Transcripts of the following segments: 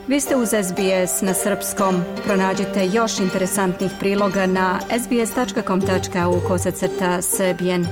Vi ste uz SBS na srpskom. Pronađite još interesantnih priloga na sbs.com.au/srbijen.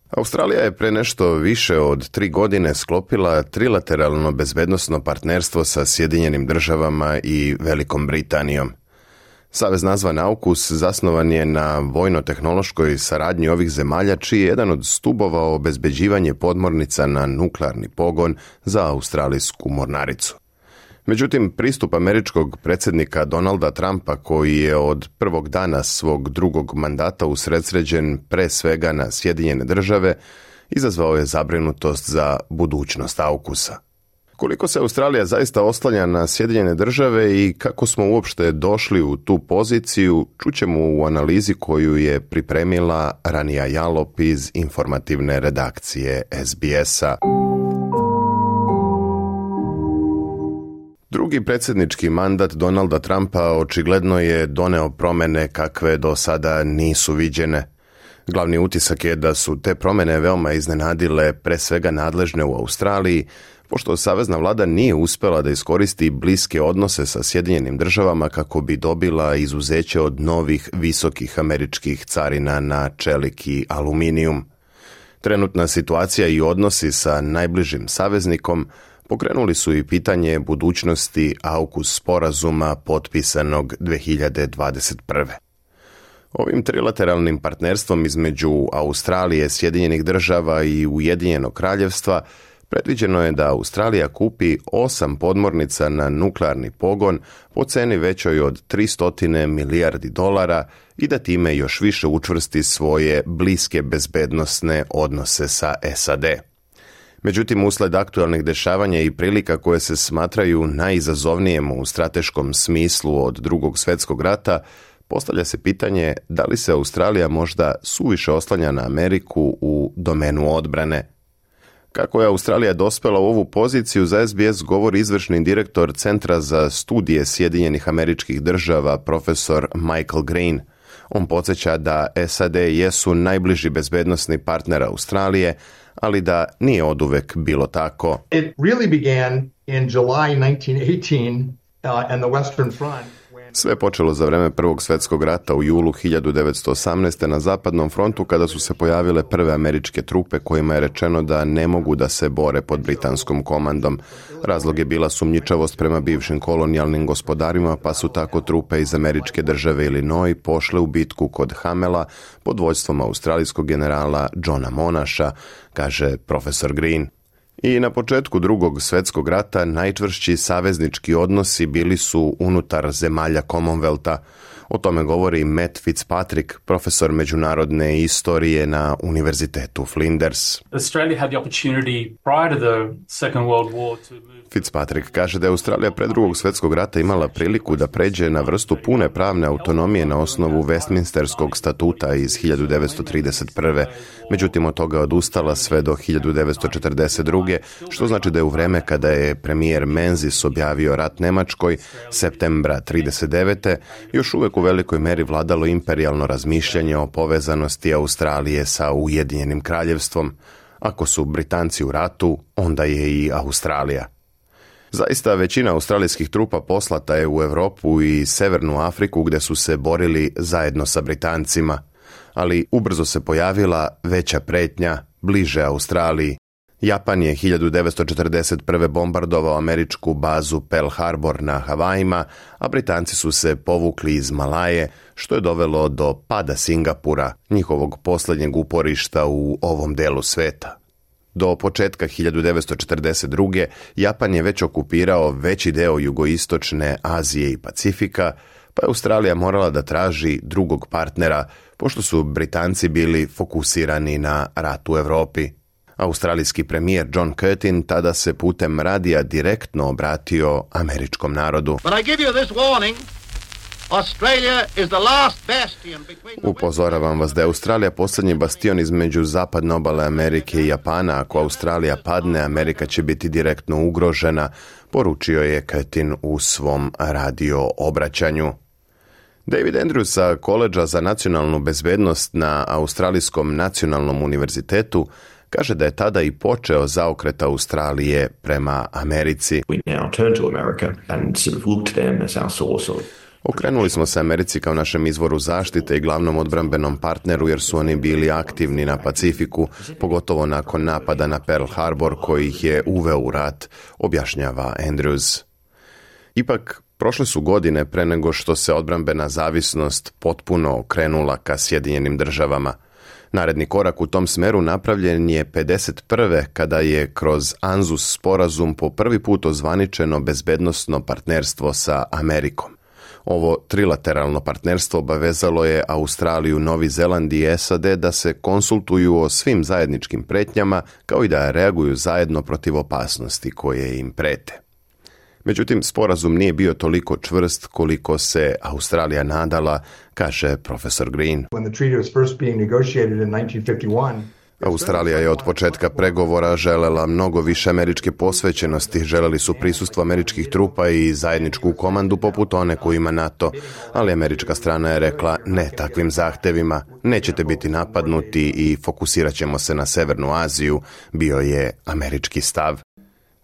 Australija je pre nešto više od 3 godine sklopila trilateralno bezbednosno partnerstvo sa Sjedinjenim državama i Velikom Britanijom. Savez nazvan AUKUS zasnovan je na vojno-tehnološkoj saradnji ovih zemalja, čiji je jedan od stubova obezbeđivanje podmornica na nuklearni pogon za australijsku mornaricu. Međutim, pristup američkog predsjednika Donalda Trumpa, koji je od prvog dana svog drugog mandata usredsređen pre svega na Sjedinjene države, izazvao je zabrinutost za budućnost AUKUS-a. Koliko se Australija zaista oslanja na Sjedinjene države i kako smo uopšte došli u tu poziciju, čućemo u analizi koju je pripremila Rania Jalop iz informativne redakcije SBS-a. Drugi predsjednički mandat Donalda Trumpa očigledno je doneo promjene kakve do sada nisu viđene. Glavni utisak je da su te promjene veoma iznenadile pre svega nadležne u Australiji, pošto savezna vlada nije uspjela da iskoristi bliske odnose sa Sjedinjenim državama kako bi dobila izuzeće od novih visokih američkih carina na čelik i aluminijum. Trenutna situacija i odnosi sa najbližim saveznikom pokrenuli su i pitanje budućnosti AUKUS sporazuma potpisanog 2021. Ovim trilateralnim partnerstvom između Australije, Sjedinjenih država i Ujedinjenog kraljevstva predviđeno je da Australija kupi 8 podmornica na nuklearni pogon po ceni većoj od $300 milijardi i da time još više učvrsti svoje bliske bezbednosne odnose sa SAD. Međutim, usled aktualnih dešavanja i prilika koje se smatraju najizazovnijem u strateškom smislu od Drugog svjetskog rata, postavlja se pitanje da li se Australija možda suviše oslanja na Ameriku u domenu odbrane. Kako je Australija dospela u ovu poziciju, za SBS govori izvršni direktor Centra za studije Sjedinjenih Američkih Država, profesor Michael Green. On podsjeća da SAD jesu najbliži bezbednosni partner Australije, ali da nije oduvek bilo tako. It really began in July 1918 and the Western Front. Sve počelo za vreme Prvog svjetskog rata u julu 1918. na zapadnom frontu, kada su se pojavile prve američke trupe kojima je rečeno da ne mogu da se bore pod britanskom komandom. Razlog je bila sumnjičavost prema bivšim kolonijalnim gospodarima, pa su tako trupe iz američke države Illinois pošle u bitku kod Hamela pod vođstvom australijskog generala Johna Monasha, kaže profesor Green. I na početku Drugog svjetskog rata najčvršći saveznički odnosi bili su unutar zemalja Commonwealtha. O tome govori Matt Fitzpatrick, profesor međunarodne istorije na Univerzitetu Flinders. Australia had the opportunity prior to the Second World War to move. Fitzpatrick kaže da je Australija pred Drugog svjetskog rata imala priliku da pređe na vrstu pune pravne autonomije na osnovu Westminsterskog statuta iz 1931. Međutim, od toga odustala sve do 1942. što znači da je u vreme kada je premijer Menzies objavio rat Njemačkoj, septembra 1939. još uvek u velikoj meri vladalo imperijalno razmišljanje o povezanosti Australije sa Ujedinjenim kraljevstvom. Ako su Britanci u ratu, onda je i Australija. Zaista, većina australijskih trupa poslata je u Europu i Severnu Afriku, gdje su se borili zajedno sa Britancima, ali ubrzo se pojavila veća pretnja bliže Australiji. Japan je 1941. bombardovao američku bazu Pearl Harbor na Havajima, a Britanci su se povukli iz Malaje, što je dovelo do pada Singapura, njihovog posljednjeg uporišta u ovom delu sveta. Do početka 1942. Japan je već okupirao veći deo jugoistočne Azije i Pacifika, pa je Australija morala da traži drugog partnera, pošto su Britanci bili fokusirani na rat u Europi. Australijski premijer John Curtin tada se putem radija direktno obratio američkom narodu. Upozoravam vas da je Australija posljednji bastion između zapadne obale Amerike i Japana. Ako Australija padne, Amerika će biti direktno ugrožena, poručio je Curtin u svom radio obraćanju. David Andrews sa Koledža za nacionalnu bezbednost na Australijskom nacionalnom univerzitetu kaže da je tada i počeo zaokret Australije prema Americi. We now turn to America and sort of look to them as our source of. Okrenuli smo se Americi kao našem izvoru zaštite i glavnom odbrambenom partneru jer su oni bili aktivni na Pacifiku, pogotovo nakon napada na Pearl Harbor koji ih je uveo u rat, objašnjava Andrews. Ipak, prošle su godine pre nego što se odbrambena zavisnost potpuno okrenula ka Sjedinjenim državama. Naredni korak u tom smeru napravljen je 51. kada je kroz ANZUS sporazum po prvi put ozvaničeno bezbednosno partnerstvo sa Amerikom. Ovo trilateralno partnerstvo obavezalo je Australiju, Novi Zeland i SAD da se konsultuju o svim zajedničkim pretnjama kao i da reaguju zajedno protiv opasnosti koje im prete. Međutim, sporazum nije bio toliko čvrst koliko se Australija nadala, kaže profesor Green. When the treaty was first being negotiated in 1951, Australija je od početka pregovora želela mnogo više američke posvećenosti, želeli su prisustvo američkih trupa i zajedničku komandu poput one koju ima NATO, ali američka strana je rekla ne takvim zahtevima, nećete biti napadnuti i fokusirat ćemo se na Severnu Aziju, bio je američki stav.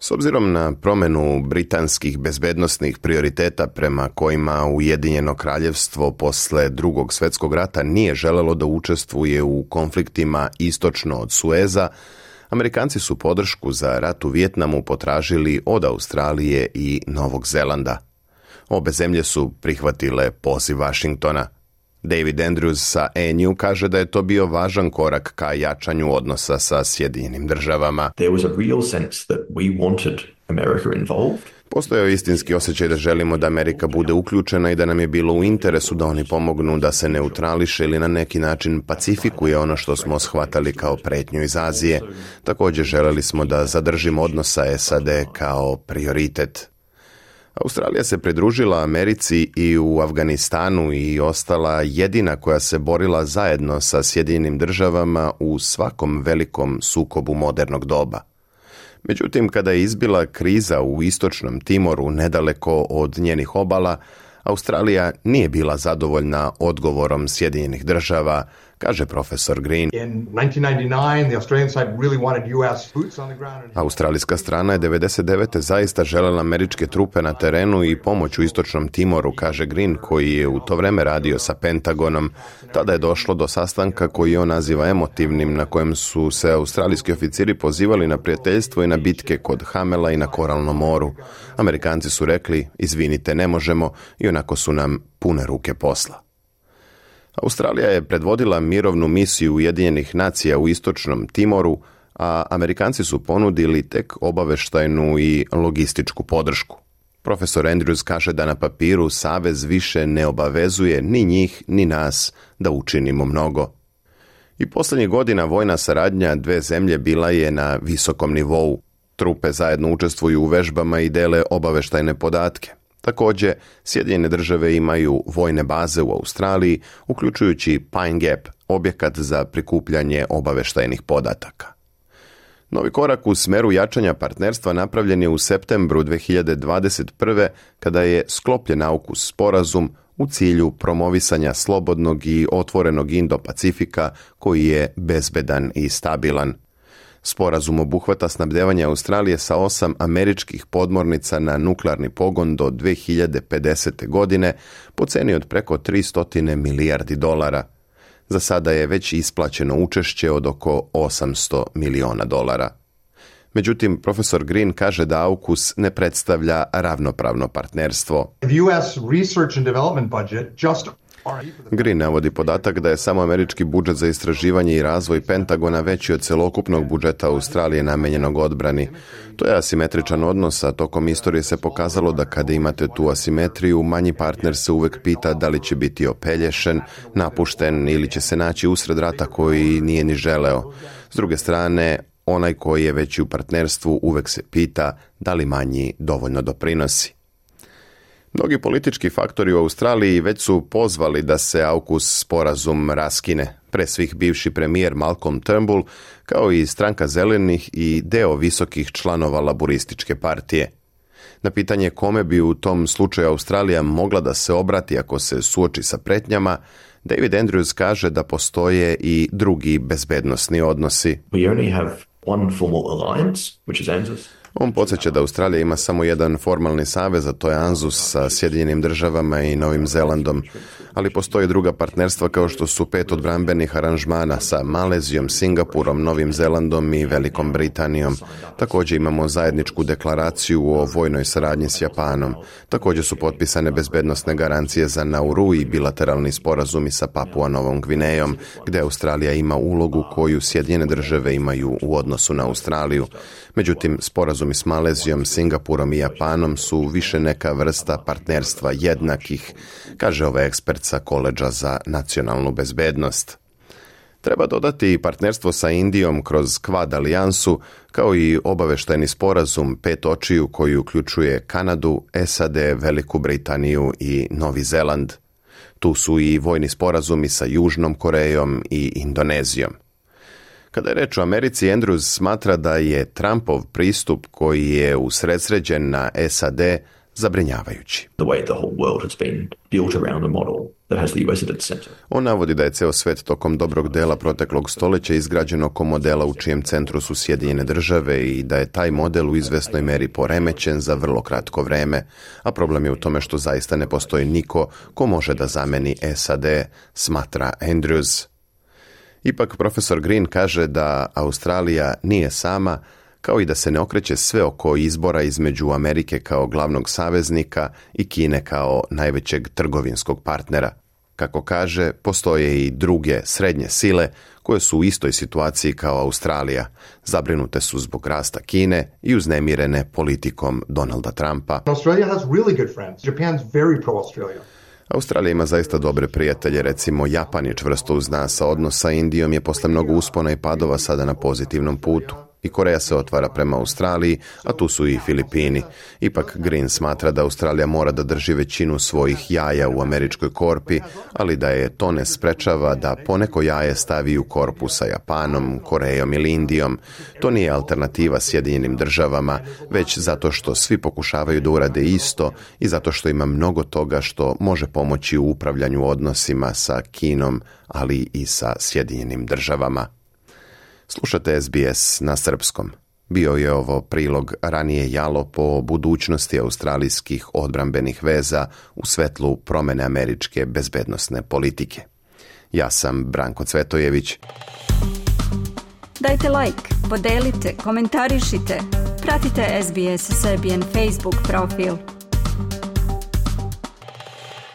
S obzirom na promjenu britanskih bezbednosnih prioriteta prema kojima Ujedinjeno kraljevstvo posle Drugog svjetskog rata nije želelo da učestvuje u konfliktima istočno od Sueza, Amerikanci su podršku za rat u Vijetnamu potražili od Australije i Novog Zelanda. Obe zemlje su prihvatile poziv Vašingtona. David Andrews sa ANU kaže da je to bio važan korak ka jačanju odnosa sa Sjedinjenim državama. There was a real sense that we wanted America involved. Postojao je istinski osjećaj da želimo da Amerika bude uključena i da nam je bilo u interesu da oni pomognu da se neutrališe ili na neki način pacifikuje ono što smo shvatali kao pretnju iz Azije. Također želeli smo da zadržimo odnos sa SAD kao prioritet. Australija se pridružila Americi i u Afganistanu i ostala jedina koja se borila zajedno sa Sjedinjenim državama u svakom velikom sukobu modernog doba. Međutim, kada je izbila kriza u istočnom Timoru nedaleko od njenih obala, Australija nije bila zadovoljna odgovorom Sjedinjenih država, kaže profesor Green. in 1999, the Australian side really wanted U.S. boots on the ground. Australijska strana je 99. zaista željela američke trupe na terenu i pomoć u istočnom Timoru, kaže Green, koji je u to vreme radio sa Pentagonom. Tada je došlo do sastanka koji on naziva emotivnim, na kojem su se australijski oficiri pozivali na prijateljstvo i na bitke kod Hamela i na Koralnom moru. Amerikanci su rekli, izvinite, ne možemo, i onako su nam pune ruke posla. Australija je predvodila mirovnu misiju Ujedinjenih nacija u istočnom Timoru, a Amerikanci su ponudili tek obaveštajnu i logističku podršku. Profesor Andrews kaže da na papiru savez više ne obavezuje ni njih ni nas da učinimo mnogo. I posljednjih godina vojna saradnja dve zemlje bila je na visokom nivou. Trupe zajedno učestvuju u vežbama i dele obaveštajne podatke. Također, Sjedinjene države imaju vojne baze u Australiji, uključujući Pine Gap, objekat za prikupljanje obaveštajnih podataka. Novi korak u smeru jačanja partnerstva napravljen je u septembru 2021. kada je sklopljen AUKUS sporazum u cilju promovisanja slobodnog i otvorenog Indo-Pacifika koji je bezbedan i stabilan. Sporazum obuhvata snabdevanje Australije sa 8 američkih podmornica na nuklearni pogon do 2050. godine po ceni od preko 300 milijardi dolara. Za sada je već isplaćeno učešće od oko 800 miliona dolara. Međutim, profesor Green kaže da AUKUS ne predstavlja ravnopravno partnerstvo. The U.S. research and development budget just Green navodi podatak da je samo američki budžet za istraživanje i razvoj Pentagona veći od celokupnog budžeta Australije namenjenog odbrani. To je asimetričan odnos, a tokom istorije se pokazalo da kada imate tu asimetriju, manji partner se uvek pita da li će biti opelješen, napušten ili će se naći usred rata koji nije ni želeo. S druge strane, onaj koji je veći u partnerstvu uvek se pita da li manji dovoljno doprinosi. Mnogi politički faktori u Australiji već su pozvali da se AUKUS sporazum raskine, pre svih bivši premijer Malcolm Turnbull, kao i stranka zelenih i deo visokih članova laburističke partije. Na pitanje kome bi u tom slučaju Australija mogla da se obrati ako se suoči sa pretnjama, David Andrews kaže da postoje i drugi bezbednosni odnosi. We only have one formal alliance, which is ANZUS. On podsjeća da Australija ima samo jedan formalni savez, a to je ANZUS sa Sjedinjenim državama i Novim Zelandom, ali postoje druga partnerstva kao što su 5 odbrambenih aranžmana sa Malezijom, Singapurom, Novim Zelandom i Velikom Britanijom. Također imamo zajedničku deklaraciju o vojnoj saradnji s Japanom. Također su potpisane bezbednosne garancije za Nauru i bilateralni sporazumi sa Papua Novom Gvinejom, gdje Australija ima ulogu koju Sjedinjene države imaju u odnosu na Australiju. Međutim, sporazumi s Malezijom, Singapurom i Japanom su više neka vrsta partnerstva jednakih, kaže ovaj ekspert sa Koledža za nacionalnu bezbednost. Treba dodati i partnerstvo sa Indijom kroz Quad alijansu, kao i obaveštajni sporazum 5 očiju koji uključuje Kanadu, SAD, Veliku Britaniju i Novi Zeland. Tu su i vojni sporazumi sa Južnom Korejom i Indonezijom. Kada je reč o Americi, Andrews smatra da je Trumpov pristup koji je usredsređen na SAD zabrinjavajući. The way the whole world has been built around a model that has the US at its center. On navodi da je ceo svet tokom dobrog dela proteklog stoljeća izgrađen oko modela u čijem centru su Sjedinjene države i da je taj model u izvesnoj meri poremećen za vrlo kratko vreme, a problem je u tome što zaista ne postoji niko ko može da zameni SAD, smatra Andrews. Ipak profesor Green kaže da Australija nije sama, kao i da se ne okreće sve oko izbora između Amerike kao glavnog saveznika i Kine kao najvećeg trgovinskog partnera. Kako kaže, postoje i druge srednje sile koje su u istoj situaciji kao Australija. Zabrinute su zbog rasta Kine i uznemirene politikom Donalda Trumpa. Australia has really good friends. Japan's very pro-Australia. Australija ima zaista dobre prijatelje, recimo Japan je čvrsto uz nas, a odnos sa Indijom je posle mnogo uspona i padova sada na pozitivnom putu. I Koreja se otvara prema Australiji, a tu su i Filipini. Ipak Green smatra da Australija mora da drži većinu svojih jaja u američkoj korpi, ali da je to ne sprečava da poneko jaje stavi u korpu sa Japanom, Korejom ili Indijom. To nije alternativa Sjedinjenim državama, već zato što svi pokušavaju da urade isto i zato što ima mnogo toga što može pomoći u upravljanju odnosima sa Kinom, ali i sa Sjedinjenim državama. Slušate SBS na srpskom. Bio je ovo prilog ranije jalo po budućnosti australijskih odbrambenih veza u svetlu promene američke bezbednosne politike. Ja sam Branko Cvetojević. Dajte like, podelite, komentarišite. Pratite SBS Serbian Facebook profil.